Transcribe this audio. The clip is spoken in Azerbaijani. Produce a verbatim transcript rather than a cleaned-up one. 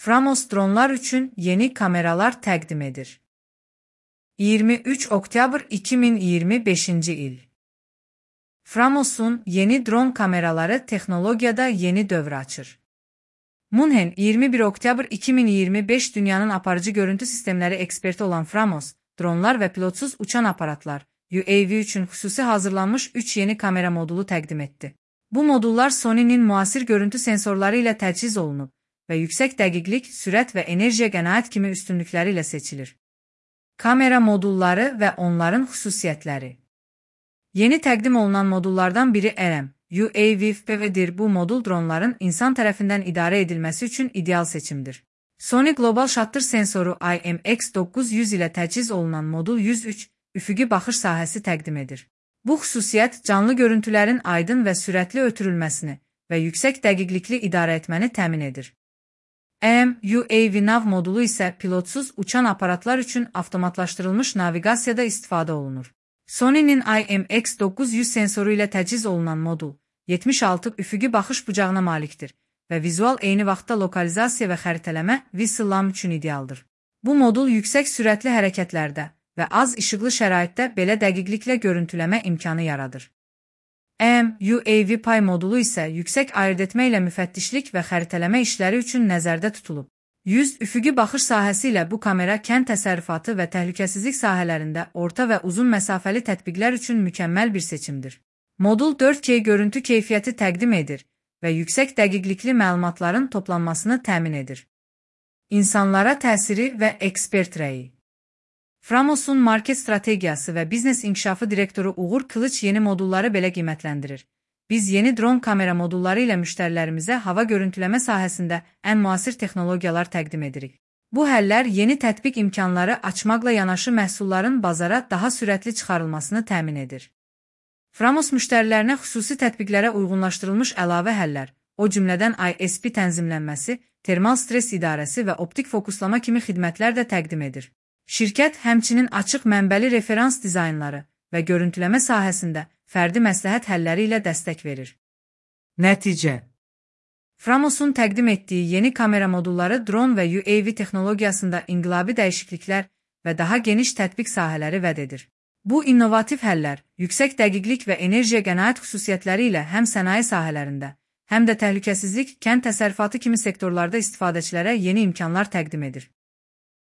Framos dronlar üçün yeni kameralar təqdim edir. iyirmi üç oktyabr iki min iyirmi beşinci il. Framos'un yeni dron kameraları texnologiyada yeni dövr açır. Munhen iyirmi bir oktyabr iki min iyirmi beş dünyanın aparıcı görüntü sistemləri eksperti olan Framos, dronlar və pilotsuz uçan aparatlar U A V üçün xüsusi hazırlanmış üç yeni kamera modulu təqdim etdi. Bu modullar Sony'nin müasir görüntü sensorları ilə təchiz olunub və yüksək dəqiqlik, sürət və enerjiyə qənaət kimi üstünlükləri ilə seçilir. Kamera modulları və onların xüsusiyyətləri. Yeni təqdim olunan modullardan biri R M U A V F P-dir. Bu modul dronların insan tərəfindən idarə edilməsi üçün ideal seçimdir. Sony Global Shutter sensoru I M X doqquz yüz ilə təchiz olunan modul yüz üç üfüqi baxış sahəsi təqdim edir. Bu xüsusiyyət canlı görüntülərin aydın və sürətli ötürülməsini və yüksək dəqiqlikli idarə etməni təmin edir. R M U A V Nav modulu isə pilotsuz uçan aparatlar üçün avtomatlaşdırılmış naviqasiyada istifadə olunur. Sony'nin I M X doqquz yüz sensoru ilə təchiz olunan modul yetmiş altı üfüqi baxış bucağına malikdir və vizual eyni vaxtda lokalizasiya və xəritələmə VSLAM üçün idealdır. Bu modul yüksək sürətli hərəkətlərdə və az işıqlı şəraitdə belə dəqiqliklə görüntüləmə imkanı yaradır. R M U A V Pay modulu isə yüksək ayırdetmə ilə müfəttişlik və xəritələmə işləri üçün nəzərdə tutulub. yüz üfüqi baxış sahəsi ilə bu kamera kənd təsərrüfatı və təhlükəsizlik sahələrində orta və uzun məsafəli tətbiqlər üçün mükəmməl bir seçimdir. Modul dörd K görüntü keyfiyyəti təqdim edir və yüksək dəqiqlikli məlumatların toplanmasını təmin edir. İnsanlara təsiri və ekspert rəyi. Framos'un market strategiyası və biznes inkişafı direktoru Uğur Kılıç yeni modulları belə qiymətləndirir. Biz yeni dron kamera modulları ilə müştərilərimizə hava görüntüləmə sahəsində ən müasir texnologiyalar təqdim edirik. Bu həllər yeni tətbiq imkanları açmaqla yanaşı məhsulların bazara daha sürətli çıxarılmasını təmin edir. Framos müştərilərinə xüsusi tətbiqlərə uyğunlaşdırılmış əlavə həllər, o cümlədən I S P tənzimlənməsi, termal stres idarəsi və optik fokuslama kimi xidmətlər də təqdim edir. Şirkət həmçinin açıq mənbəli referans dizaynları və görüntüləmə sahəsində fərdi məsləhət həlləri ilə dəstək verir. Nəticə. Framos'un təqdim etdiyi yeni kamera modulları dron və U A V texnologiyasında inqilabi dəyişikliklər və daha geniş tətbiq sahələri vəd edir. Bu innovativ həllər, yüksək dəqiqlik və enerjiyə qənaət xüsusiyyətləri ilə həm sənaye sahələrində, həm də təhlükəsizlik, kənd təsərrüfatı kimi sektorlarda istifadəçilərə yeni imkanlar təqdim edir.